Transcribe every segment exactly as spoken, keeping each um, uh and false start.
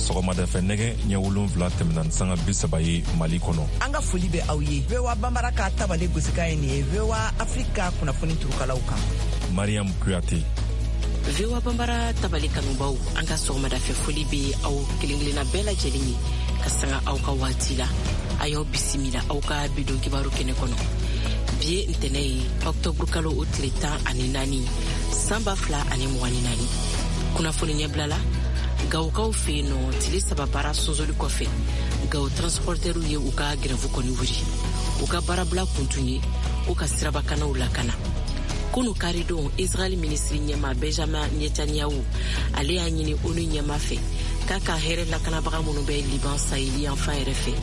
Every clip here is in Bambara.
Sɔgɔmadafɛ nɛgɛ ɲɛ wolonfila tɛmɛna ni sanga bi saba ye Mali kɔnɔ. An ka foli bɛ aw ye. V O A Bambara ka tabale gosikan ye nin ye V O A Afrika kunnafoni turukalaw kan. Mariam Kuyate. V O A Bambara tabale kanubaw, an ka sɔgɔmadafɛ foli bɛ aw kelen kelenna bɛɛ lajɛlen ye ka sanga aw ka waati la. A y'aw bisimila aw ka bidon kibaru kɛnɛ kɔnɔ. Bi ye ntɛnɛ ye, ɔktɔburu kalo o tile tan ani naani, san ba fila ani mugan ni naani. Kunnafoni ɲɛbila la, Gawokaw fɛ yen nɔ, tile saba baara sonsoli kɔfɛ, Gawo transportɛriw ye u ka grève kɔni wuli. U ka baarabila kun tun ye ko ka sirabakanaw lakana. Kunu karidon, Israel minisiri ɲɛma Benjamin Netanyahu ale y'a ɲini ONU ɲɛma fɛ k'a ka hɛrɛ lakanabaga minnu bɛ Liban saheli yanfan yɛrɛ fɛ,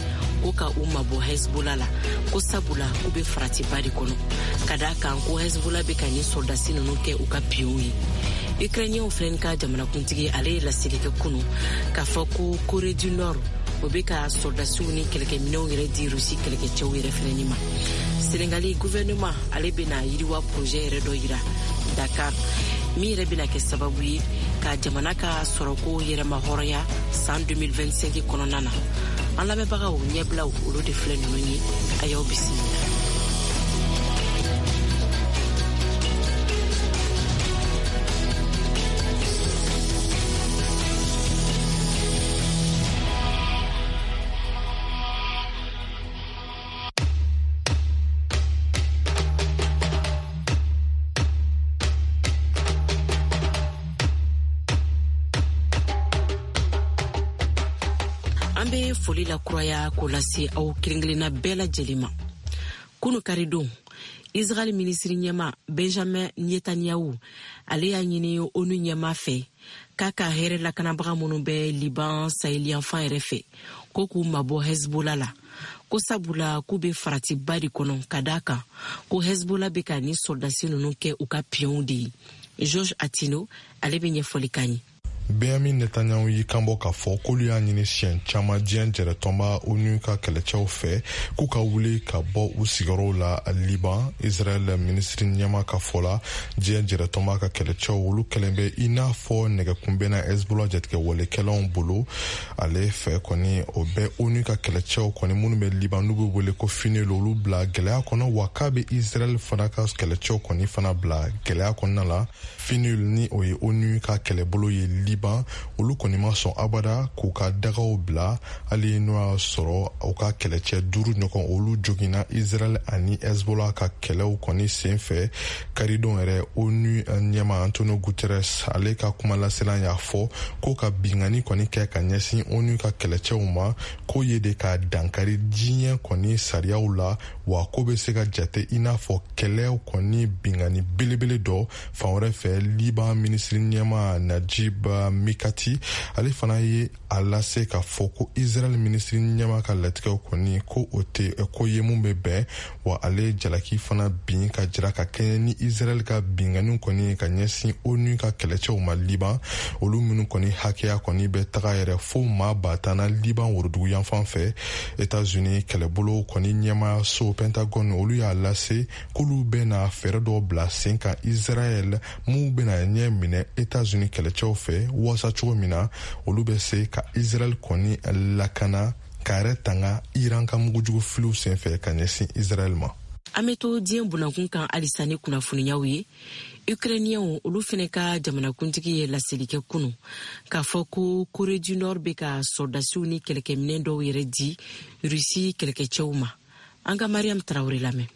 ko ka u mabɔ Hezbollah la, ko sabula k'u bɛ faratiba de kɔnɔ, ka d'a kan ko Hezbollah bɛ ka nin sɔrɔdasi ninnu kɛ u ka piyonw ye. Ukrainien fɛnɛ ka jamanakuntigi ale ye laseli kɛ kunu k'a fɔ ko Corée du Nord o bɛ ka sɔrɔdasiw ni kɛlɛkɛminɛnw yɛrɛ di Rusi kɛlɛkɛcɛw yɛrɛ fɛnɛ ma. Senegali gouvernement ale bɛna yiriwa projet yɛrɛ dɔ yira Dakar min yɛrɛ bɛna kɛ sababu ye ka jamana ka sɔrɔko yɛrɛma hɔrɔnya san deux mille vingt-cinq kɔnɔna na. An lamɛnbagaw, ɲɛbilaw olu de filɛ ninnu ye, a y'aw bisimila. An bɛ foli la kuraya k'o lase aw kelen kelenna bɛɛ lajɛlen ma. Kunu karidon, Israel minisiri ɲɛma Benjamin Netanyahu ale y'a ɲini ONU ɲɛma fɛ k'a ka hɛrɛ lakanabaga minnu bɛ Liban saheli yanfan yɛrɛ fɛ, ko k'u mabɔ Hezbollah la, ko sabula k'u bɛ faratiba de kɔnɔ, ka d'a kan ko Hezbollah bɛ ka nin sɔrɔdasi ninnu kɛ u ka piyonw de ye. Georges Atino ale bɛ ɲɛfɔli k'an ye. Benjamin Netanyahu y'i kanbɔ k'a fɔ k'olu y'a ɲini siɲɛ caman diɲɛ jɛrɛtɔnba ONU ka kɛlɛcɛw fɛ k'u ka wuli ka bɔ u sigiyɔrɔw la Liban. Israel minisiri ɲɛma ka fɔ la, diɲɛ jɛrɛtɔnba ka kɛlɛcɛw olu kɛlen bɛ i n'a fɔ nɛgɛkunbɛnna Hezbollah jatigɛwalekɛlaw bolo. Ale fɛ kɔni, o bɛ ONU ka kɛlɛcɛw kɔni minnu bɛ Liban n'u bɛ wele ko FINUL olu bila gɛlɛya kɔnɔ, wa k'a bɛ Israel fana ka kɛlɛcɛw kɔni fana bila gɛlɛya kɔnɔna la. FINUL ni o ye ONU ka kɛlɛbolo ye Liban, olu kɔni ma sɔn abada k'u ka dagaw bila, hali n'o y'a sɔrɔ u ka kɛlɛcɛ duuru ɲɔgɔn olu joginna Israel ani Hezbollah ka kɛlɛw kɔni sen fɛ. Karidon yɛrɛ, ONU ɲɛma Antonio Guterres ale ka kumalasela y'a fɔ ko ka binkanni kɔni kɛ ka ɲɛsin ONU ka kɛlɛcɛw ma, k'o ye de ka dankari diɲɛ kɔni sariyaw la, wa ko bɛ se ka jate i n'a fɔ kɛlɛw kɔni binkanni belebele dɔ. Fan wɛrɛ fɛ, Liban minisiri ɲɛma Najib Mikati ale fana ye a lase k'a fɔ ko Israel minisiri ɲɛma ka latigɛw kɔni ko o tɛ ko ye mun bɛ bɛn, wa ale jalaki fana bin ka jira ka kɛɲɛ ni Israel ka binkanniw kɔni ka ɲɛsin ONU ka kɛlɛcɛw ma Liban, olu minnu kɔni hakɛya kɔni bɛ taga yɛrɛ fo maa ba tan na Liban worodugu yanfan fɛ. États-Unis kɛlɛbolo kɔni ɲɛmaayaso Pentagone olu y'a lase k'olu bɛna fɛɛrɛ dɔw bila sen kan Israel mun bɛna ɲɛ minɛ États-Unis kɛlɛcɛw fɛ, waasa cogo min na olu bɛ se ka Israel kɔni lakana k'a yɛrɛ tanga Iran ka mugujugu filiw senfɛ ka ɲɛsin Israel ma. An bɛ to diɲɛ bunankun kan halisa ni kunnafoniyaw ye. Ukrainiens olu fɛnɛ ka jamanakuntigi ye laseli kɛ kunu k'a fɔ ko Corée du Nord bɛ ka sɔrɔdasiw ni kɛlɛkɛminɛn dɔw yɛrɛ di Rusi kɛlɛkɛcɛw ma. An ka Mariam Traoré lamɛn.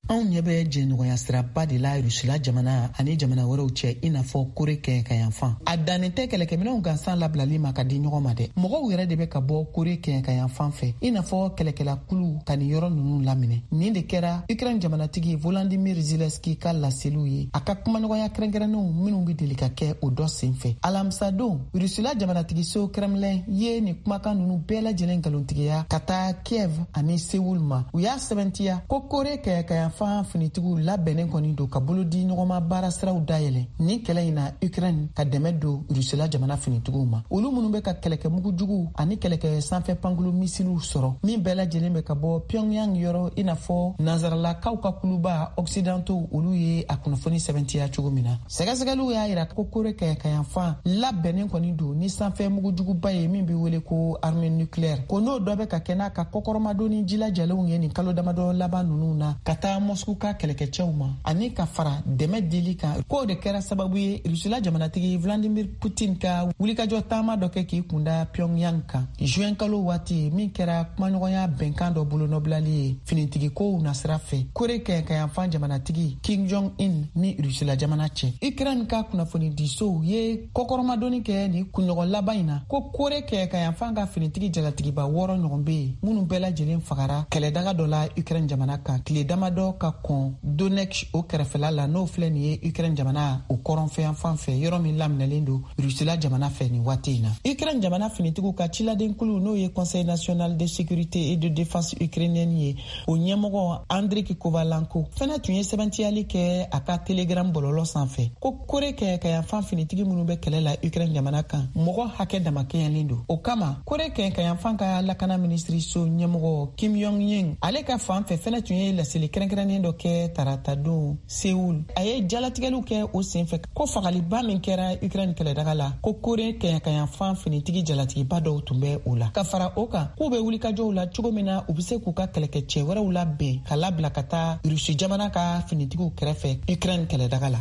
Anw ɲɛ bɛ jɛɲɔgɔnya siraba de la Rusila jamana ani jamana wɛrɛw cɛ, i n'a fɔ Kore kɛɲɛkayanfan. A dannen tɛ kɛlɛkɛminɛnw gansan labilali ma ka di ɲɔgɔn ma dɛ. Mɔgɔw yɛrɛ de bɛ ka bɔ Kore kɛɲɛkayanfan fɛ, i n'a fɔ kɛlɛkɛlakulu ka nin yɔrɔ ninnu laminɛ. Nin de kɛra Ukraine jamanatigi Volodymyr Zelensky ka laseliw ye a ka kumaɲɔgɔnya kɛrɛnkɛrɛnnenw minnu bɛ deli ka kɛ o dɔ sen fɛ. Alamisadon, Rusila jamanatigiso Kremlin ye nin kumakan ninnu bɛɛ lajɛlen nkalontigiya ka taa Kiev ani Seoul ma. U y'a sɛbɛntiya ko Kore kɛɲɛkayanfan kɛɲɛkayanfan finitigiw labɛnnen kɔni don ka bolo di ɲɔgɔnma baara siraw dayɛlɛ ni kɛlɛ in na Ukraine ka dɛmɛ don Rusila jamana finitigiw ma, olu minnu bɛ ka kɛlɛkɛ mugujuguw ani kɛlɛkɛ sanfɛ pankulu misiliw sɔrɔ min bɛɛ lajɛlen bɛ ka bɔ Pyongyang yɔrɔ, i n'a fɔ nansaralakaw ka kuluba Occidentaux olu ye a kunnafoni sɛbɛntiya cogo min na. Sɛgɛsɛgɛliw y'a yira ko Kore kɛɲɛkayanfan labɛnnen kɔni don ni sanfɛ mugujuguba ye min bɛ wele ko arme nucléaire, ko n'o dɔ bɛ ka kɛ n'a ka kɔkɔrɔmadonni jilajalenw ye nin kalo damadɔ laban ninnu na ka taa Moscou ka kɛlɛkɛcɛw ma ani ka fara dɛmɛ dili kan. K'o de kɛra sababu ye Rusila jamanatigi Vladimir Putin ka wulikajɔ taama dɔ kɛ k'i kunda Pyongyang kan juin kalo waati, min kɛra kumaɲɔgɔnya bɛnkan dɔ bolonɔbilali ye finitigikow nasira fɛ Kore kɛɲɛkayanfan jamanatigi Kim Jong Un ni Rusila jamana cɛ. Ukraine ka kunnafonidisow ye kɔkɔrɔmadonni kɛ nin kunɲɔgɔn laban in na ko Kore kɛɲɛkayanfan ka finitigi jalatigiba wɔɔrɔ ɲɔgɔn bɛ yen minnu bɛɛ lajɛlen fagara kɛlɛdaga dɔ la Ukraine jamana kan tile damadɔ ka kɔn Donetsk o kɛrɛfɛla la, n'o filɛ nin ye Ukraine jamana o kɔrɔnfɛyanfan fɛ, yɔrɔ min laminɛlen don Rusila jamana fɛ nin waati in na. Ukraine jamana finitigiw ka ciladenkulu, n'o ye Conseil national de sécurité et de défense ukrainienne ye, o ɲɛmɔgɔ Andriy Kovalenko fɛnɛ tun ye sɛbɛntiyali kɛ a ka Telegram bɔlɔlɔ sanfɛ ko Kore kɛɲɛkayanfan finitigi minnu bɛ kɛlɛ la Ukraine jamana kan, mɔgɔ hakɛ damakɛɲɛlen don. O kama Kore kɛɲɛkayanfan ka lakana minisiriso ɲɛmɔgɔ Kim Yong Ying ale ka fan fɛ fɛnɛ tun ye laseli kɛrɛnkɛrɛnnen dɔ kɛ taratadon Seoul. A ye jalatigɛliw kɛ o senfɛ ko fagaliba min kɛra Ukraine kɛlɛdaga la, ko Kore kɛɲɛkayanfan finitigi jalatigiba dɔw tun bɛ o la. Ka fara o kan, k'u bɛ wulikajɔw la cogo min na u bɛ se k'u ka kɛlɛkɛcɛ wɛrɛw labɛn ka labila ka taa Rusi jamana ka finitigiw kɛrɛfɛ Ukraine kɛlɛdaga la.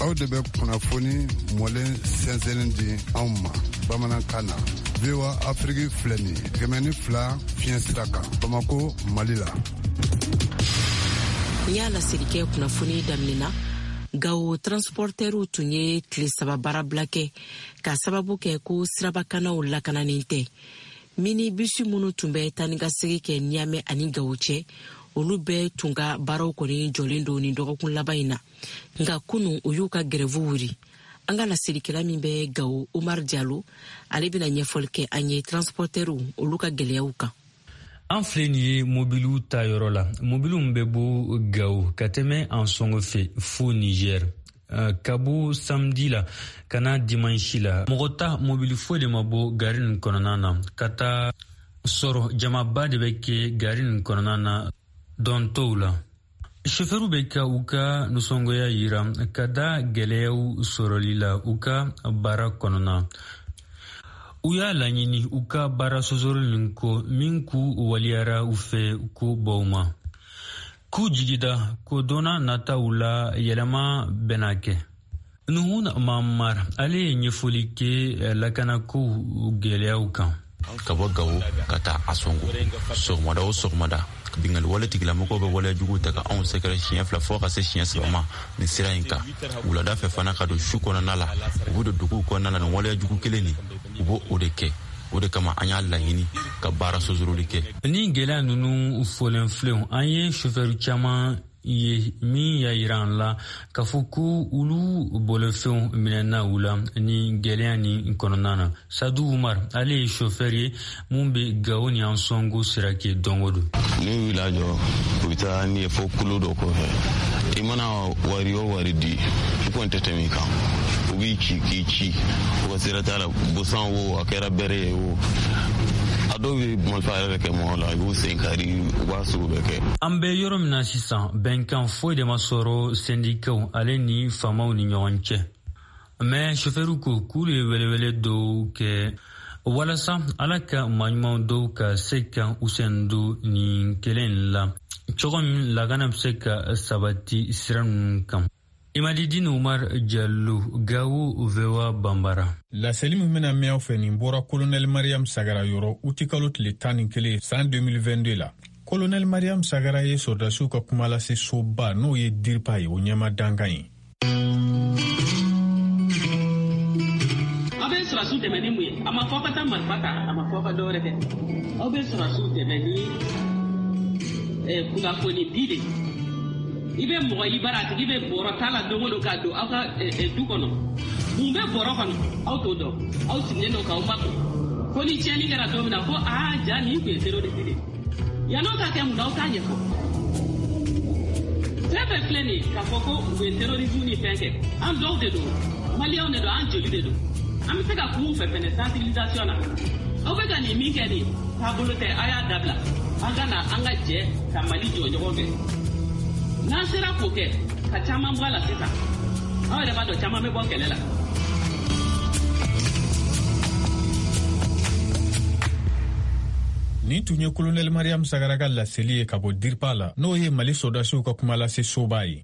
Aw de bɛ kunnafoni mɔlen sɛnsɛnnen di anw ma bamanankan na. V O A Afrique filɛ nin ye kɛmɛ ni fila fiɲɛ sira kan Bamako, Mali la. N y'a laseli kɛ kunnafoni daminɛ na, Gawo transportɛriw tun ye tile saba baarabila kɛ k'a sababu kɛ ko sirabakanaw lakananen tɛ. Minibisi minnu tun bɛ taa ni ka segin kɛ Niamey ani Gawo cɛ, olu bɛɛ tun ka baaraw kɔni jɔlen don nin dɔgɔkun laban in na. Nka kunu u y'u ka grève wuli. An ka laselikɛla min bɛ Gawo, Omar Diallo, ale bɛna ɲɛfɔli kɛ an ye transportɛriw olu ka gɛlɛyaw kan. An filɛ nin ye mobiliw ta yɔrɔ la, mobiliw bɛ bɔ Gawo ka tɛmɛ Ansongo fɛ fo Niger. Ka bɔ samedi la ka na dimanche la, mɔgɔ ta mobili foyi de ma bɔ gari nin kɔnɔna na ka taa sɔrɔ jamaba de bɛ kɛ gari nin kɔnɔna na dɔn tɔw la. Sofɛriw bɛ ka u ka nisɔngoya yira ka da gɛlɛyaw sɔrɔli la u ka baara kɔnɔna. U y'a laɲini u ka baara sɔsɔli nin ko min k'u waliyara u fɛ ko baw ma, k'u jigida ko donna nataw la yɛlɛma bɛna kɛ. Nuhun Mamar ale ye ɲɛfɔli kɛ lakanakow gɛlɛyaw kan. Ka bɔ Gawo ka taa Ansongo sɔgɔmada o sɔgɔmada, bingali wale tigilamɔgɔw bɛ waleya juguw ta ka anw sɛgɛrɛ siɲɛ fila fo ka se siɲɛ saba ma nin sira in kan. Wulada fɛ fana ka don su kɔnɔna la, u bɛ don duguw kɔnɔna la nin waleya jugu kelen nin, u b'o o de kɛ. O de kama an y'a laɲini ka baara sozoroli kɛ. Ni gɛlɛya ninnu fɔlen filɛ, an ye sofɛri caman ye min y'a yira an la k'a fɔ ko olu bolofɛnw minɛna u la ni gɛlɛya nin kɔnɔna na. Sadu Umar ale ye sofɛri ye mun bɛ Gawo ni Ansongo sira kɛ don o don. N'u y'u lajɔ, u bɛ taa n'i ye fo kulu dɔ kɔfɛ. I mana wari o wari di, i kɔni tɛ tɛmɛ i kan. U b'i ci k'i ci, u ka sira t'a la, busan wo, a kɛra bɛrɛ ye o. A dɔw bɛ marifa yɛrɛ kɛ mɔgɔ la, i b'u sen kari, u b'a sugu bɛɛ kɛ. An bɛ yɔrɔ min na sisan, bɛnkan foyi de ma sɔrɔ sɛndikaw ale ni faamaw ni ɲɔgɔn cɛ. Mɛ sofɛriw ko k'olu ye welewele dɔw kɛ walasa ala ka maaɲuman dɔw ka se ka u sen don nin kɛlɛ in la cogo min lakana bɛ se ka sabati sira ninnu kan. Imadidine Umar Diallo, Gawo, V O A Bambara. Laseli min bɛna mɛn aw fɛ nin bɔra Colonel Mariam Sagara yɔrɔ utikalo tile tan ni kelen san deux mille vingt-deux la. Colonel Mariam Sagara ye sɔrɔdasiw ka kuma lase soba n'o ye DIRPA ye, o ɲɛma dankan ye. Aw bɛ sɔrɔdasiw dɛmɛ ni mun ye? A ma fɔ ka taa marifa ta, a ma fɔ ka dɔwɛrɛ kɛ. Aw bɛ sɔrɔdasiw dɛmɛ ni kunnafoni di de. I bɛ mɔgɔ i bara a tigi bɛ bɔrɔ ta la don o don k'a don aw ka du kɔnɔ. Mun bɛ bɔrɔ kɔnɔ? Aw t'o dɔn. Aw sigilen don k'aw makun. Ko ni tiɲɛni kɛra don min na ko aa ja nin tun ye zéro de de. Yann'o ka kɛ mun na, aw t'a ɲɛfɔ. Fɛn fɛn filɛ nin ye k'a fɔ ko u bɛ terrorisme ni fɛn kɛ, an dɔw de don, maliyɛnw de don, an joli de don. An bɛ se ka kuma u fɛ fɛnɛ sensibilisation na. Aw bɛ ka nin min kɛ nin taabolo tɛ, a y'a dabila. An ka na an ka jɛ ka Mali jɔ ɲɔgɔn fɛ. N'an sera k'o kɛ, ka caman bɔ a la sisan. Aw yɛrɛ b'a dɔn caman bɛ bɔ kɛlɛ la. Nin tun ye Kolonɛli Mariam Sagara ka laseli ye ka bɔ DIRPA la, n'o ye Mali sɔrɔdasiw ka kumalase soba ye.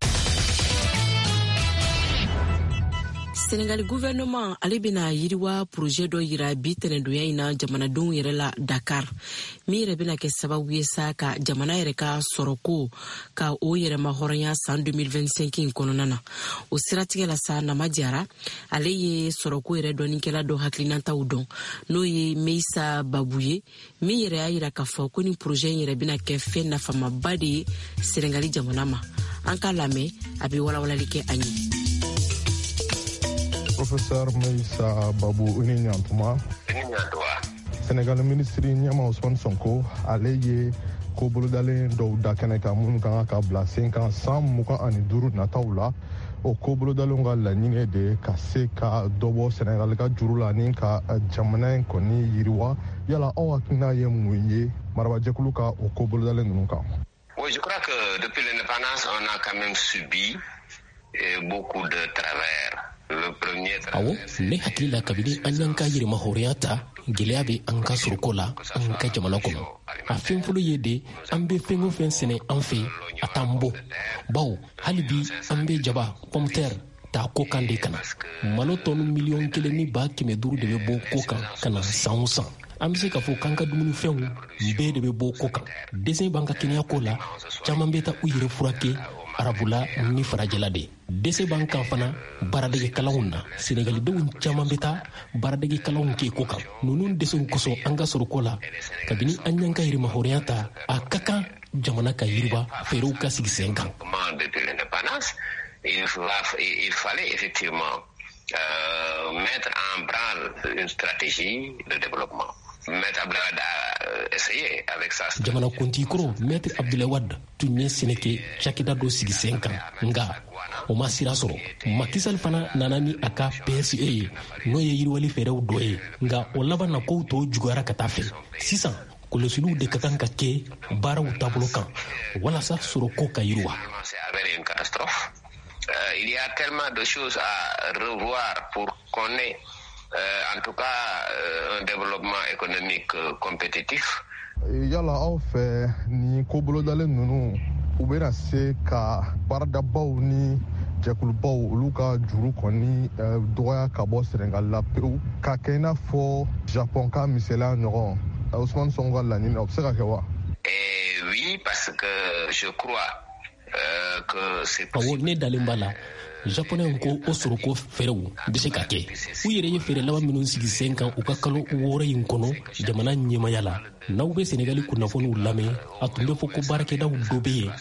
Senegali gouvernement ale bɛna yiriwa projet dɔ yira bi tɛnɛdonya in na jamanadenw yɛrɛ la Dakar, min yɛrɛ bɛna kɛ sababu ye sa ka jamana yɛrɛ ka sɔrɔko ka o yɛrɛma hɔrɔnya san deux mille vingt-cinq in kɔnɔna na. O siratigɛ la sa, Nama Jara ale ye sɔrɔko yɛrɛ dɔnnikɛla dɔ hakilinataw dɔn, n'o ye Meissa Babou ye, min yɛrɛ y'a yira k'a fɔ ko ni projet in yɛrɛ bɛna kɛ fɛn nafamaba de ye Senegali jamana ma. An k'a lamɛn, a bɛ walawalali kɛ an ye. Professeur Meissa Babou, i ni ɲantuma. Senegal minisiri ɲɛma Ousmane Sonko ale ye ko bolodalen dɔw da kɛnɛ kan minnu kan ka bila sen kan san mugan ani duuru nataw la. O ko bolodalenw ka laɲini de ka se ka dɔ bɔ Senegal ka juru la ni ka jamana in kɔni yiriwa. Yala aw hakilina ye mun ye marabajɛkulu ka o ko bolodalen ninnu kan? Oui, je crois que depuis l'indépendance, on a quand même subi beaucoup de travers. Awɔ, ne hakili la kabini an y'an ka yɛrɛma hɔrɔnya ta, gwɛlɛya bɛ an ka sɔrɔko la an ka jamana kɔnɔ. A fɛn fɔlɔ ye de, an bɛ fɛn o fɛn sɛnɛ an fɛ, a t'an bɔ, bawo hali bi an bɛ jaba, pomme de terre ta kɔkan de ka na. Malo tɔni miliyɔn kelen ni ba kɛmɛ duuru de bɛ bɔ kɔkan ka na san o san. An bɛ se k'a fɔ k'an ka dumunifɛnw bɛɛ de bɛ bɔ kɔkan. Dɛsɛ b'an ka kɛnɛyako la, caman bɛ taa u yɛrɛ furakɛ arabula ni farajɛla de. Dɛsɛ b'an kan fana baaradege kalanw na. Senegalidenw caman bɛ taa baaradege kalanw kɛ ko kan. Ninnu dɛsɛw kosɔn an ka sɔrɔko la, kabini an y'an ka yɛrɛmahɔrɔnya ta, a ka kan jamana ka yiriwa, fɛɛrɛw ka sigi sen kan. Il fallait effectivement euh, mettre en branle une stratégie de développement. Maître Abdoulaye Wade a essayé avec sa jamanakuntigi kɔrɔ Maître Abdoulaye Wade tun ye sɛnɛkɛ cakɛda dɔ sigi sen kan, nka o ma sira sɔrɔ. Macky Sall fana nana ni a ka P S E ye, n'o ye yiriwali fɛɛrɛw dɔ ye, nka o laban na kow tɔ juguyara ka taa fɛ. Sisan kɔlɔsiliw de ka kan ka kɛ baaraw taabolo kan walasa sɔrɔko ka yiriwa. Il y a tellement de choses à revoir pour qu'on ait Euh, en tout cas euh, un développement économique euh, compétitif. Yala aw fɛ nin ko bolodalen ninnu, u bɛna se ka baaradabaw ni jɛkulubaw olu ka juru kɔni dɔgɔya ka bɔ Senegal la pewu, ka kɛ i n'a fɔ Japon ka misaliya ɲɔgɔn? Ousmane Sonko ka laɲini na, o bɛ se ka kɛ wa? Eh oui, parce que je crois euh, que c'est possible. Awɔ, ne dalen b'a la. Japonɛw ko o sɔrɔko fɛɛrɛw bɛ se ka kɛ. U yɛrɛ ye fɛɛrɛ laban minnu sigi sen kan u ka kalo wɔɔrɔ in kɔnɔ jamana ɲɛmaya la. N'aw bɛ Senegali kunnafoniw lamɛn, a tun bɛ fɔ ko baarakɛdaw dɔ bɛ yen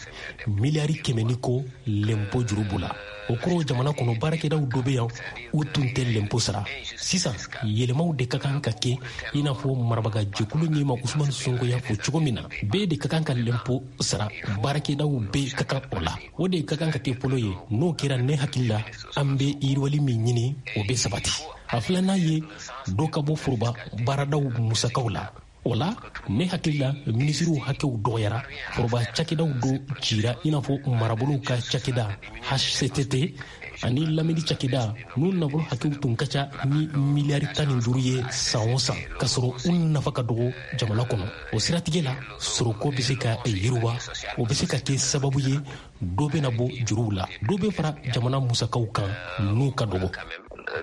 miliyari kɛmɛ ni kɔ lɛnpo juru b'u la. O kɔrɔ jamana kɔnɔ baarakɛdaw dɔ bɛ yan, u tun tɛ lɛnpo sara. Sisan yɛlɛmaw de ka kan ka kɛ, i n'a fɔ marabaga jɛkulu ɲɛma Ousmane Sonko y'a fɔ cogo min na, bɛɛ de ka kan ka lɛnpo sara, baarakɛdaw bɛɛ ka kan o la. O de ka kan ka kɛ fɔlɔ ye. N'o kɛra, ne hakili la, an bɛ yiriwali min ɲini, o bɛ sabati. A filanan ye dɔ ka bɔ foroba baaradaw musakaw la. O la, ne hakili la, minisiriw hakɛw dɔgɔyara, foroba cakɛdaw dɔ cira, i n'a fɔ marabolow ka cakɛda H C T T ani lamini cakɛda, n'u nafolo hakɛw tun ka ca ni miliyari tan ni duuru ye san o san, k'a sɔrɔ u nafa ka dɔgɔ jamana kɔnɔ. O siratigɛ la, sɔrɔko bɛ se ka yiriwa, o bɛ se ka kɛ sababu ye dɔ bɛna bɔ juruw la, dɔ bɛ fara jamana musakaw kan n'u ka dɔgɔ.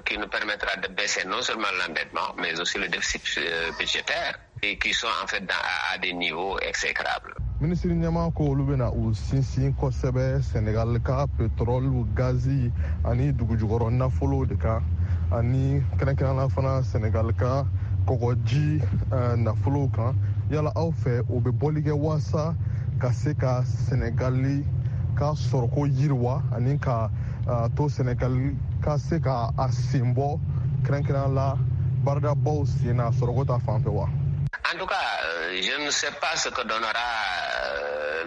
Qui nous permettra de baisser non seulement l'endettement, mais aussi le déficit budgétaire, et qui sont en fait dans, à, à des niveaux exécrables. Minisiri ɲɛmaa ko olu bɛna u sinsin kosɛbɛ Senegal ka pétrole, gazi ani dugujukɔrɔ nafolo de kan, ani kɛrɛnkɛrɛnnenya fana Senegal ka kɔgɔji nafolow kan. Yala aw fɛ o bɛ bɔli kɛ waasa ka se ka Senegali ka sɔrɔko yiriwa ani ka to Senegal ka se ka a sen bɔ kɛrɛnkɛrɛnnenya la baaradabaw sen na sɔrɔko ta fan fɛ wa? En tout cas, Je ne sais pas ce que donnera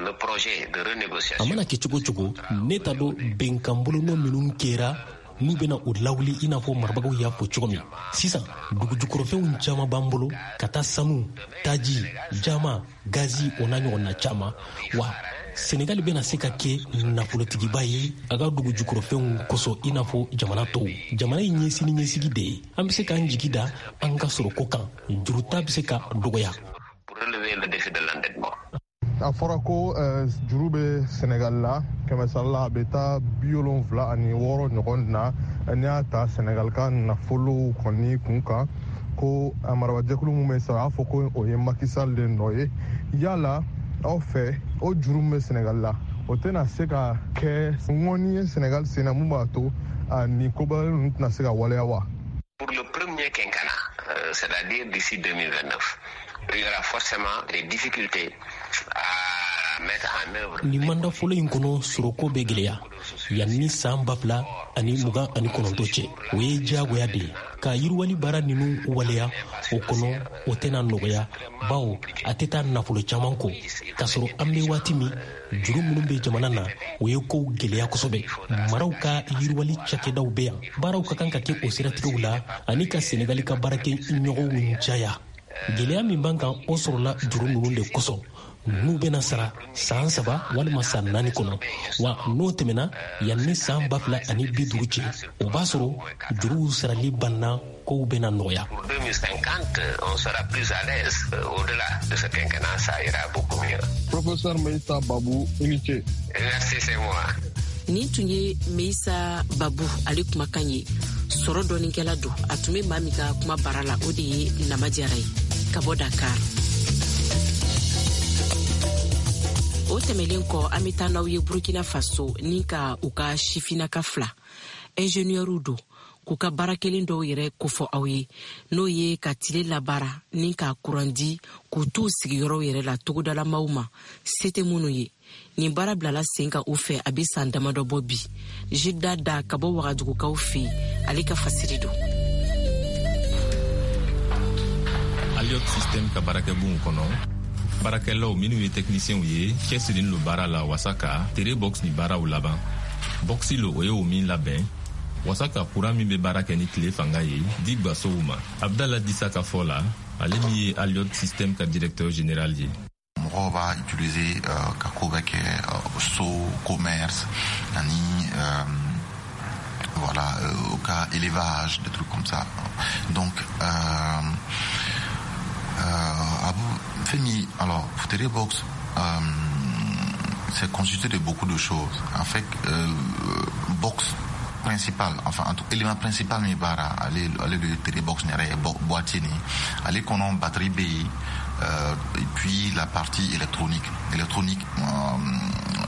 le projet de renégociation. A mana kɛ cogo cogo, ne t'a dɔn bɛnkan bolonɔ minnu kɛra n'u bɛna o lawuli i n'a fɔ marabagaw y'a fɔ cogo min. Sisan dugujukɔrɔfɛnw caman b'an bolo, ka taa sanu, taji, jama, gazi, o n'a ɲɔgɔnna caman. Wa Senegali bɛna se ka kɛ nafolotigiba ye a ka dugujukɔrɔfɛnw kosɔn i n'a fɔ jamana tɔw. Jamana in ye sini ɲɛsigi de ye. An bɛ se k'an jigi da an ka sɔrɔko kan, juruta bɛ se ka dɔgɔya. A fɔra ko juru bɛ Senegal la, kɛmɛ sara la a bɛ taa bi wolonfila ani wɔɔrɔ ɲɔgɔn na. N'i y'a ta Senegal ka nafolo kɔni kun kan, ko a marabajɛkulu min bɛ sara, a fɔ ko o ye Macky Sall de nɔ ye. Yala aw fɛ, o juru min bɛ Senegal la, o tɛna se ka kɛ ŋɔni ye Senegal sen na, mun b'a to nin koba ninnu tɛna se ka waleya wa? Pour le premier quinquennat, euh, c'est-à-dire d'ici deux mille vingt-neuf, il y aura forcément des difficultés à mettre en œuvre. Nin manda fɔlɔ in kɔnɔ, sɔrɔko bɛ gɛlɛya yanni san ba fila ani mugan ani kɔnɔntɔn cɛ. O ye diyagoya de ye ka yiriwali baara ninnu waleya o kɔnɔ. O tɛna nɔgɔya, bawo a tɛ taa nafolo caman kɔ, k'a sɔrɔ an bɛ waati min, juru minnu bɛ jamana na, o ye kow gɛlɛya kosɛbɛ. Maraw ka yiriwali cakɛdaw bɛ yan, baaraw ka kan ka kɛ o siratigɛw la ani ka Senegali ka baarakɛ ɲɔgɔnw caya. Gɛlɛya min b'an kan, o sɔrɔla juru ninnu de kosɔn, n'u bɛna sara san saba walima san naani kɔnɔ. Wa n'o tɛmɛna, yanni san ba fila ani bi duuru cɛ, o b'a sɔrɔ juruw sarali banna, kow bɛna nɔgɔya. Pour deux mille cinquante, on sera plus à l'aise. Au-delà de ce quinquennat, ça ira beaucoup mieux. Professeur Meissa Babou, i ni ce. Merci, c'est moi. Nin tun ye Meissa Babou ale kumakan ye. Sɔrɔ dɔɔninkɛla don. A tun bɛ maa min ka kuma baara la, o de ye Nama Jara ye ka bɔ Dakar. O tɛmɛlen kɔ, an bɛ taa n'aw ye Burkina Faso ni ka u ka sifinnaka fila ingénieurw don, k'u ka baara kelen dɔw yɛrɛ kofɔ aw ye, n'o ye ka tile labaara ni ka kuran di k'u t'u sigiyɔrɔw yɛrɛ la togodalamaw ma, se tɛ minnu ye. Nin baara bilala sen kan u fɛ a bɛ san damadɔ bɔ bi. Jida da ka bɔ Wagadugukaw fɛ yen, ale ka fasiri don. Aliot System ka baarakɛbonw kɔnɔ, baarakɛlaw minnu ye tɛkinisiyɛnw ye, cɛsirilen lo baara la wasa ka tere box ni baaraw laban. Boxi lo, o ye o min labɛn wasa ka kuran min bɛ baara kɛ ni tile fanga ye di gwasow ma. Abdala Disa ka fɔ la, ale min ye Aliot System ka directeur général ye. Mɔgɔw b'a utiliser euh, ka ko bɛɛ kɛ, euh, so, commerce ani euh, voilà, euh, au cas élevage, des trucs comme ça. Donc euh, euh, fɛn min, alors Tere Box, euh, c'est constitué de beaucoup de choses. En fait, euh, box principal, enfin en tout élément principal min baara ale ale de Tere Box yɛrɛ ye, boîtier nin ale kɔnɔ, batterie bɛ yen, euh, et puis la partie électronique électronique euh,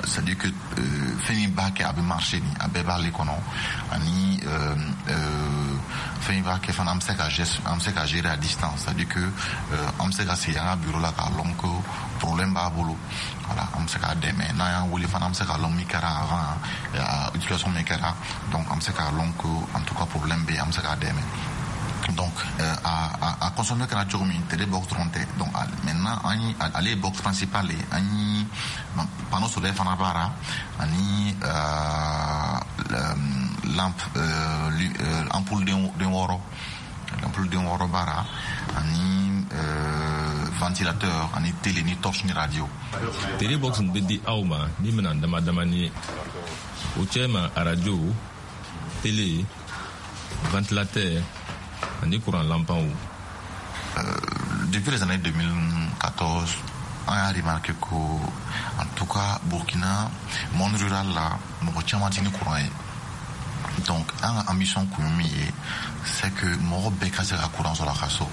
c'est-à-dire que euh, fɛn min b'a kɛ a bɛ marcher nin, a bɛɛ b'ale kɔnɔ, ani euh, euh, fɛn min b'a kɛ fana an bɛ se ka geste an bɛ se ka gérer à distance, c'est-à-dire que euh, an bɛ se ka sigi an ka bureau la k'a lɔn ko problème b'a bolo. Voilà, an bɛ se k'a dɛmɛ. N'an y'an wele fana, an bɛ se k'a lɔn min kɛra avant, utilisation min kɛra. Donc an bɛ se k'a lɔn ko en tout cas problème bɛ yen, an bɛ se k'a dɛmɛ. Donc euh, a, a, a consommer kɛra cogo min, Tere Box dɔrɔn tɛ. Donc maintenant an ye ale ye box principal ye, an ye panneau solaire fana b'a la, ani euh, lampe, euh, ampoule den wɔɔrɔ ampoule den wɔɔrɔ b'a la, ani euh, ventilateur, ani télé, ni torche, ni radio. Tere Box bɛ di aw ma ni minɛn dama damani ye, o cɛ ma arajo, télé, ventilateur ani courant lampanw. Euh, depuis les années deux mille quatorze, on a remarqué que, en tout cas, Burkina, monde rural là, mɔgɔ caman tɛ ni courant ye. Donc, an ka ambition kun ye min ye, c'est que mɔgɔ bɛɛ ka se ka courant sɔrɔ a ka so.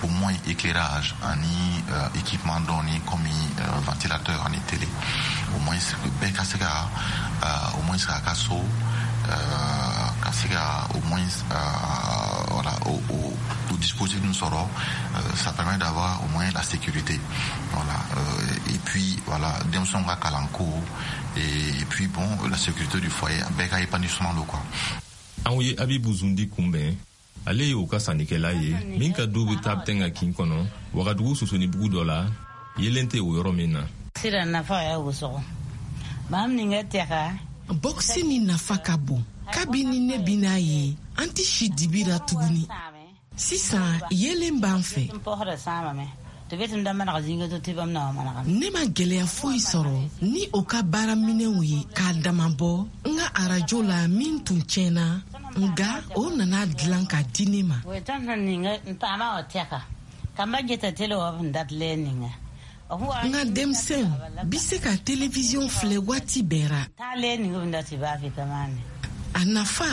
Au moins éclairage ani euh, équipement dɔɔni comme euh, ventilateur ani télé. Au moins bɛɛ ka se ka euh, au moins k'a ka so, euh, ka se ka au moins euh, voilà, au, au, au dispositif nous sɔrɔ, euh, ça permet d'avoir au moins la sécurité. Voilà, euh, et puis voilà, denmisɛnw ka kalanko, et, et puis bon, la sécurité du foyer, bɛɛ ka épanouissement don quoi. Anw ye Abibu Zundi kunbɛn Ale ye u ka sannikɛla ye min ka du bɛ Tabenga kin kɔnɔ, Wagadugu sosonibugu dɔ la, yelen tɛ o yɔrɔ min na. Bɔkisi ni nafa ka bon. Kabini ne bi n'a ye, an tɛ si dibi la tuguni. Sisan yelen b'an fɛ. Ne ma gɛlɛya foyi sɔrɔ ni o ka baaraminɛnw ye k'a dama bɔ n ka arajo la min tun tiɲɛna, nka o nana dilan ka di ne ma. N ka denmisɛnw bi se ka televiziyɔn filɛ waati bɛɛ ra. A nafa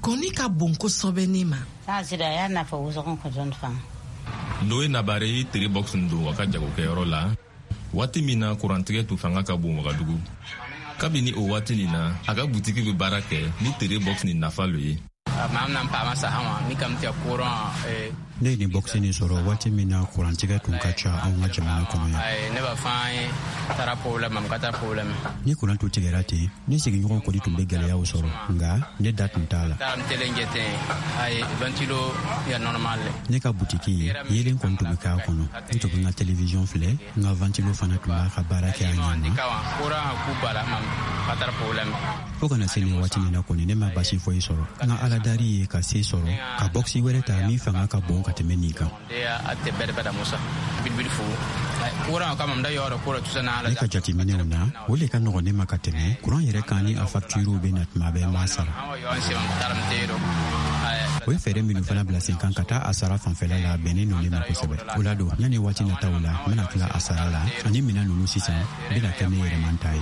kɔni ka bon kosɛbɛ ne ma. Noé Nabare ye tere box don a ka jagokɛyɔrɔ la waati min na kurantigɛ tun fanga ka bon Wagadugu. Kabini o waati nin na, a ka butiki bɛ baara kɛ ni tere box nin nafa lo ye. Ne ye nin bɔkisi nin sɔrɔ waati min na kurantigɛ tun ka ca anw ka jamana kɔnɔ yan. Ni kuran tun tigɛra ten, ne sigiɲɔgɔn kɔni tun bɛ gɛlɛyaw sɔrɔ, nka ne da tun t'a la. Ne ka butiki yelen kɔni tun bɛ k'a kɔnɔ. N tun bɛ n ka televiziyɔn filɛ, n ka vantilo fana tun b'a ka baara kɛ a ɲɛ ma. Fo kana se nin waati nin na kɔni, ne ma basi foyi sɔrɔ. N ka aladari ye ka se sɔrɔ ka bɔkisi wɛrɛ ta min fanga ka bon ka tɛmɛ nin kan. Ne ka jateminɛw na, o le ka nɔgɔn ne ma ka tɛmɛ kuran yɛrɛ kan ni a facturiw bɛ na tuma bɛɛ n b'a sara. O ye fɛɛrɛ minnu fana bila sen kan ka taa a sara fanfɛla la bɛnnen don ne ma kosɛbɛ. O la don, yanni waati nataw la, n bɛna tila a sara la ani minɛn ninnu sisan bɛna kɛ ne yɛrɛman ta ye.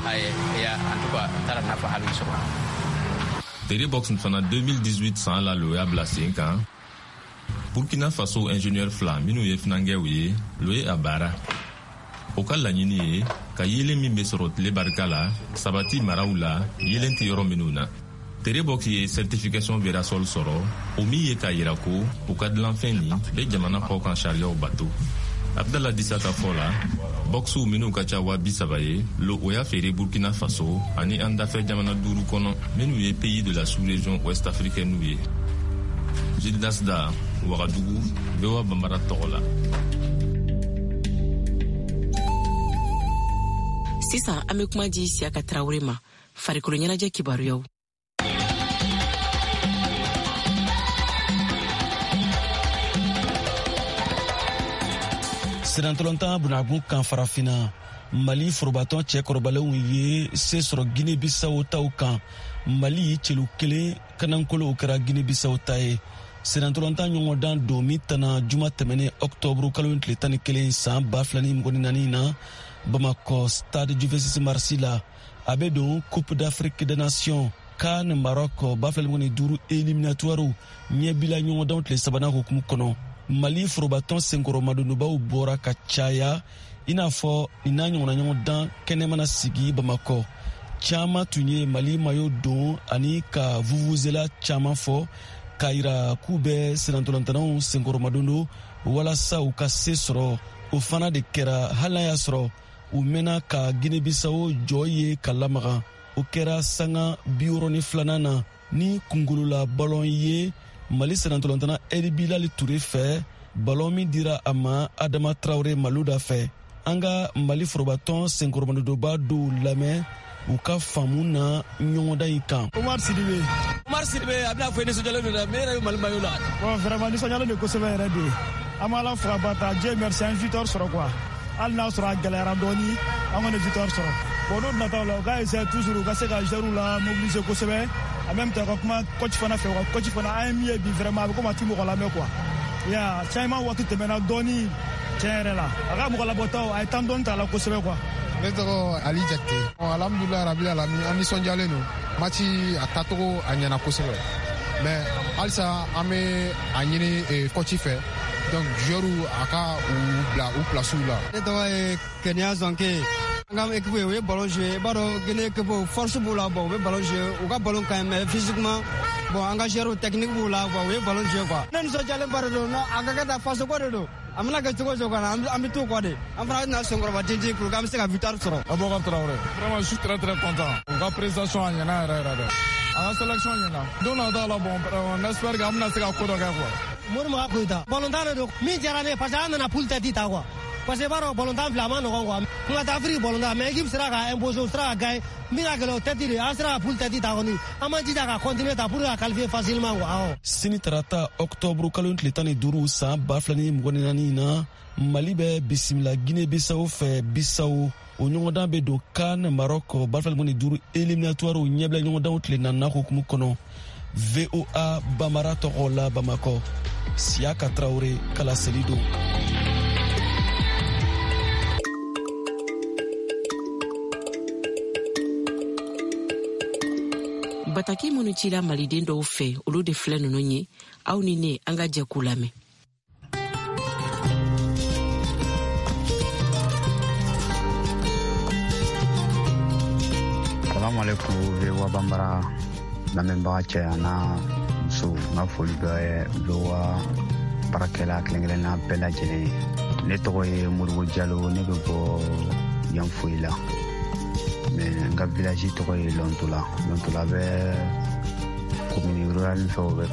Tere box fana deux mille dix-huit san la lo y'a bila sen kan. Burkina Faso ingénieur fila minnu ye finankɛw ye, lo ye a baara. O ka laɲini ye ka yeelen min bɛ sɔrɔ tile barika la sabati maraw la yeelen tɛ yɔrɔ minnu na. Tere box ye certification Verasol sɔrɔ, o min ye k'a yira ko u ka dilanfɛn nin bɛ jamana kɔkan sariyaw bato. Abdala Disa ka fɔ la, boxw minnu ka ca waa bi saba ye, lo o y'a feere Burkina Faso ani an dafɛ jamana duuru kɔnɔ minnu ye pays de la sous-région ouest africaine ye. Gildas Da, Wagadugu, V O A Bambara tɔgɔ la. Sisan an bɛ kuma di Siyaka Tarawele ma, farikolo ɲɛnajɛ kibaruyaw. Sirantɔlɔntan bunagun kan farafinna, Mali forobatɔn cɛkɔrɔbalenw ye se sɔrɔ Guinée-Bissau taw kan. Mali celu kelen kanankolo kɛra Guinée-Bissau ta ye. Sirantɔlɔntan ɲɔgɔndan don min tana juma tɛmɛnen octobre kalo tile tan ni kelen san ba fila ni mugan ni naani na Bamakɔ stade du vingt-six mars la, a bɛ don Coupe d'Afrique des Nations CAN Maroc ba fila ni mugan ni duuru éliminatoire ɲɛbila ɲɔgɔndanw tile sabanan hukumu kɔnɔ. Mali forobatɔn senkɔrɔmadonbaw bɔra ka caya i n'a fɔ nin n'a ɲɔgɔnna ɲɔgɔndan kɛnɛ mana sigi Bamakɔ. Caman tun ye Mali mayo don ani ka vuvuzela caman fɔ k'a yira k'u bɛ sennantolantanaw senkɔrɔmadon don walasa u ka se sɔrɔ. O fana de kɛra hali n'a y'a sɔrɔ u mɛnna ka Guinée-Bissau jɔ ye ka lamaga. O kɛra sanga bi wɔɔrɔ ni filanan na ni kungolola balon ye Mali sennantolantana El Bilal Touré fɛ, balon min dira a ma Adama Traoré Maluda fɛ. An ka Mali forobatɔn senkɔrɔmadonba dɔw lamɛn u ka faamu na ɲɔgɔndan in kan. Omar Sidibe. Omar Sidibe, a bɛna fɔ i nisɔndiyalen don dɛ, mais e yɛrɛ bɛ Mali maillot la. Bon, vraiment nisɔndiyalen don kosɛbɛ yɛrɛ de. An b'Ala fo ka barika, Dieu merci, an ye victoire sɔrɔ quoi. Hali n'a sɔrɔ a gɛlɛyara dɔɔni, an kɔni ye victoire sɔrɔ. Bon, n'o nataw la, u ka essayer toujours u ka se ka joueurs la mobiliser kosɛbɛ. En même temps, ka kuma coach fana fɛ, u ka coach fana an ye min ye bi vraiment a bɛ komi a ti mɔgɔ lamɛn quoi. Ya, changement waati tɛmɛna dɔɔni tiɲɛ yɛrɛ la. A ka mɔgɔ labɔtaw a ye temps dɔɔni ta a la kosɛbɛ quoi. Ne tɔgɔ Ali Jakite. Alhamdulilayi rabil alamin, an nisɔndiyalen don. Match a taacogo a ɲɛna kosɛbɛ. Mais halisa an bɛ a ɲini coach fɛ. Donc joueurs a ka u bila u place la. Ne tɔgɔ ye Kenya Zanke. An ka équipe u ye ballon jouer, i b'a dɔn Guinée équipe force b'u la, bon u bɛ ballon jouer, u ka ballon ka ɲi mais physiquement bon an ka joueurs technique b'u la quoi, u ye ballon jouer quoi. Ne nisɔndiyalen ba de don, a ka kɛ tan faso ko de don. A mana kɛ cogo o cogo an bɛ t'u kɔ de. An fana bɛna senkɔrɔba tintin pour que an bɛ se ka victoire sɔrɔ. Aboubacar Traoré. Vraiment je suis très très content. U ka prestation a ɲɛna yɛrɛ yɛrɛ de. A ka sélection ɲɛna. Don nata la bon on espère que an bɛna se ka ko dɔ kɛ quoi. Morimaga Koyita. Balontan de don min diyara ne ye parce que an nana poule tête ta quoi. Parce que i b'a dɔn balontan filɛ a ma nɔgɔn quoi. Kun ka taa Afrique balontan mais équipe sera ka imposer, u sera ka gagner. Min ka gɛlɛn o tête de an sera ka poule tête ta kɔni. An m'an jija ka continuer ta pour ka qualifier facilement quoi. Awɔ. Sini tarata octobre kalo tile tan ni duuru san ba fila ni mugan ni naani na, Mali bɛ bisimila Guinée Bissau fɛ Bissau. O ɲɔgɔndan bɛ don CAN Maroc ba fila ni mugan ni duuru éliminatoire ɲɛbila ɲɔgɔndanw tile naaninan hukumu kɔnɔ. V O A Bamara tɔgɔ la Bamakɔ, Siyaka Traoré kalaseli don. Bataki minnu cila maliden dɔw fɛ, olu de filɛ ninnu ye. Aw ni ne an ka jɛ k'u lamɛn. Salamu alaikum V O A Bambara lamɛnbaga cɛ an'a muso, n ka foli bɛ V O A baarakɛla kelen-kelenna bɛɛ lajɛlen ye. Ne tɔgɔ ye Modibo Jalo, ne bɛ bɔ Yanfoyi la, mais n ka village tɔgɔ ye Lɔntola. Lɔntola bɛ commune rurale fɛ, o bɛ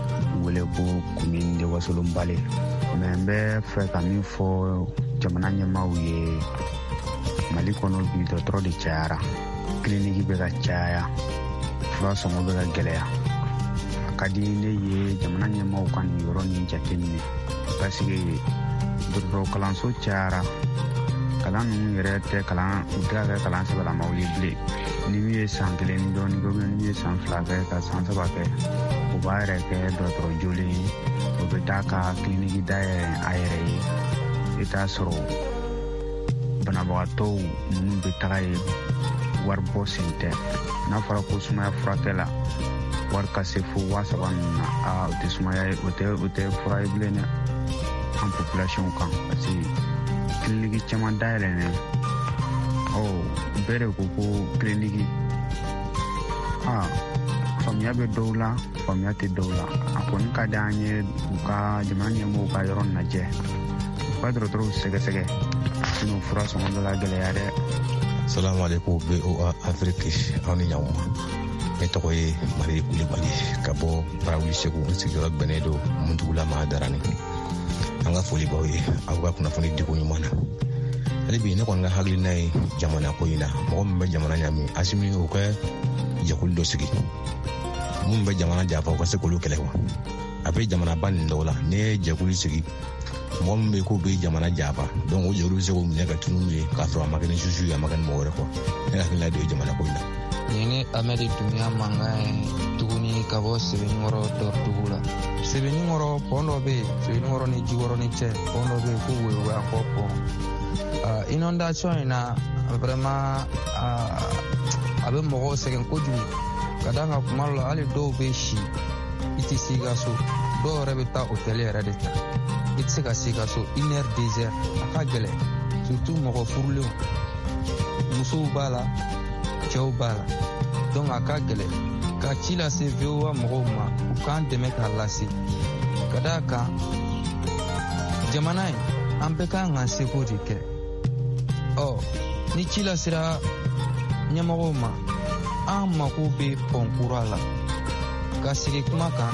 wele ko commune de Wasolon-Bale. Mais n bɛ fɛ ka min fɔ jamana ɲɛmaaw ye, Mali kɔnɔ bi dɔgɔtɔrɔ de cayara, kiliniki bɛ ka caya, fura sɔngɔ bɛ ka gɛlɛya. A ka di ne ye jamana ɲɛmaaw ka nin yɔrɔ nin jateminɛ, parce que dɔgɔtɔrɔ kalanso cayara, kalan ninnu yɛrɛ tɛ kalan, u tɛ ka kɛ kalan sɛbɛlamaw ye bilen. Ni min ye san kelen ni dɔɔnin kɛ, ni min ye san fila kɛ ka san saba kɛ, o b'a yɛrɛ kɛ dɔgɔtɔrɔ jolen ye, o bɛ taa ka kiliniki dayɛlɛ a yɛrɛ ye. I t'a sɔrɔ banabagatɔw minnu bɛ taga yen, wari bɔ sen tɛ. N'a fɔra ko sumaya furakɛ la wari ka se fo waa saba ninnu na, aa o tɛ sumaya ye, o tɛ o tɛ fura ye bilen dɛ an population kan, parce que kiliniki caman dayɛlɛnnen, ɔ bɛɛ de ko ko kiliniki. Aa faamuya bɛ dɔw la, faamuya tɛ dɔw la. A kɔni ka di an ye u ka jamana ɲɛmɔgɔw ka yɔrɔ lajɛ, u ka dɔgɔtɔrɔw sɛgɛsɛgɛ, sinon fura sɔngɔ bɛ ka gɛlɛya dɛ. Salamu alaikum V O A Afrique, aw ni ɲankuma. Ne tɔgɔ ye Mari Kulibali ka bɔ Barawuli Segu, n sigiyɔrɔ bɛnnen don Muntugula ma Darani. An ka foli b'aw ye aw ka kunnafoni diko ɲuman na. Hali bi ne kɔni ka hakilina ye jamana ko in na, mɔgɔ min bɛ jamana ɲami, Asimi o ka jɛkulu dɔ sigi minnu bɛ jamana janfa, u ka se k'olu kɛlɛ wa. A bɛ jamanaba nin dɔw la, n'i ye jɛkulu sigi, mɔgɔ min bɛ k'o bɛ jamana janfa, donc o jɛkulu bɛ se k'o minɛ ka tunun ye k'a sɔrɔ a ma kɛ ni susu ye, a ma kɛ ni mɔgɔ wɛrɛ kɔ. Ne hakilina de ye jamana ko in na. Nin ye Amɛdi Dumiya mankan ye tuguni ka bɔ Sebenikɔrɔ Dɔridugu la. Sebenikɔrɔ pɔn dɔ bɛ yen, Sebenikɔrɔ ni Jikɔrɔni cɛ, pɔn dɔ bɛ yen ko Woyowoyankɔ pɔn. Inondation in na vraiment a bɛ mɔgɔw sɛgɛn kojugu, ka d'a kan kuma dɔ la hali dɔw bɛ si, i tɛ s'i ka so, dɔw yɛrɛ bɛ taa hôtel yɛrɛ de ta, i tɛ se ka s'i ka so une heure deux heures, a ka gɛlɛn, surtout mɔgɔ furulenw, musow b'a la, cɛw b'a la, donc a ka gɛlɛn. Ka ci lase V O A mɔgɔw ma, u k'an dɛmɛ k'a lase, ka d'a kan jamana in an bɛɛ kan k'an seko de kɛ. Ɔ ni ci lasera ɲɛmɔgɔw ma, an mako bɛ pɔn kura la. Ka sigi kuma kan,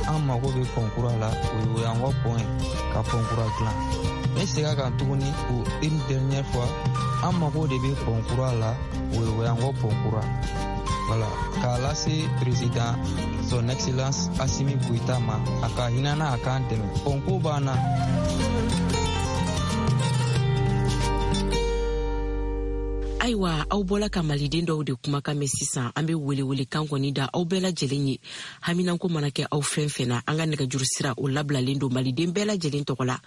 an mako bɛ pɔn kura la, o ye an ka pɔn ye, ka pɔn kura dilan. Ne segin a kan tuguni pour une dernière fois, an mako de bɛ pɔn kura la, o ye an ka pɔn kura. Voilà, k'a lase président son excellence Assimi Goïta ma, a ka hinɛ n'a a k'an dɛmɛ. Pɔn ko b'an na. Ayiwa, aw bɔla ka maliden dɔw de kumakan mɛn sisan. An be welewelekan kɔni da aw bɛɛ lajɛlen ye. Haminanko mana kɛ aw fɛn fɛn na, an ka nɛgɛjuru sira o labilalen don maliden bɛɛ lajɛlen tɔgɔ la.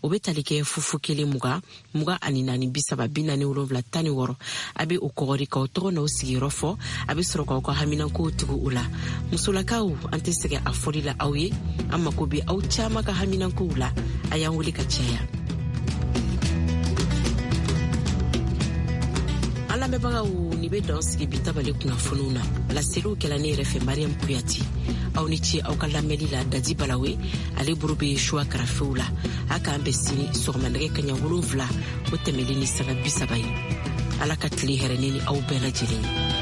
O be tali kɛ fufu kelen mugan mugan ani naani bi saba bi naani wolonwula tan ni wɔɔrɔ. A be o kɔgɔri k'aw tɔgɔ n'aw sigiyɔrɔ fɔ, a be sɔrɔ k'aw ka haminankow tugu o la. Musolakaw, an tɛ sɛgɛn a fɔli la aw ye, an mako be aw caaman ka haminankow la. A y'an wele ka caya. An lamɛnbagaw, ni bɛ dan sigi bi tabale kunnafoniw na. Laseliw kɛla ne yɛrɛ fɛ Mariam Kuyate. Aw ni ce aw ka lamɛnli la. Dadi Balawe ale bolo bɛ suwa karafew la. A k'an bɛn sini sɔgɔma nɛgɛ kaɲa wolonwula o tɛmɛlen ni sanga bi saba ye. Ala ka tile hɛrɛ ne ni aw bɛɛ lajɛlen ye.